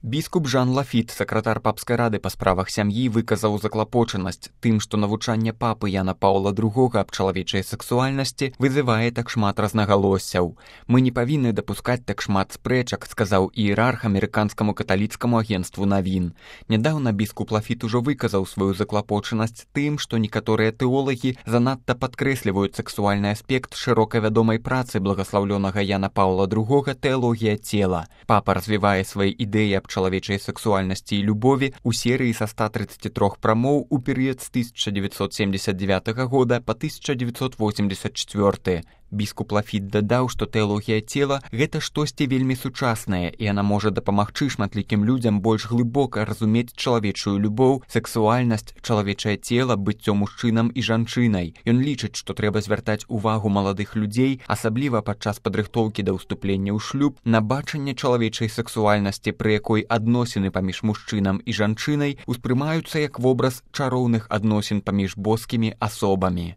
Біскуп Жан Лафіт, сакратар папскай рады па справах сям'і, выказаў заклапочанасць тым, што навучанне папы Яна Паўла II аб чалавечай сексуальнасці вызывае так шмат рознагалоссяў. «Мы не павінны дапускаць так шмат спрэчак», сказаў іерарх амерыканскаму каталіцкаму агенцтву навін. Нядаўна біскуп Лафіт ужо выказаў сваю заклапочанасць тым, што некаторыя тэолагі занадта падкрэсліваюць сексуальны аспект шырока вядомай працы благаслаўлёнага Яна Паўла II «Тэалогія цела». Папа развівае свае ідэі аб чалавечай сексуальнасці і любові у серыі са 133 прамоў у перыяд з 1979 года па 1984. Біскуп Лафіт дадаў, што тэалогія цела – гэта штосьці вельмі сучаснае, і яна можа дапамагчы шматлікім людзям больш глыбока разумець чалавечую любоў, сексуальнасць, чалавечае цела, быццё мужчынам і жанчынай. Ён лічыць, што трэба звяртаць увагу маладых людзей, асабліва падчас падрыхтоўкі да ўступлення ў шлюб, на бачанне чалавечай сексуальнасці, пры якой адносіны паміж мужчынам і жанчынай успрымаюцца як вобраз чароўных адносін паміж боскімі асобамі.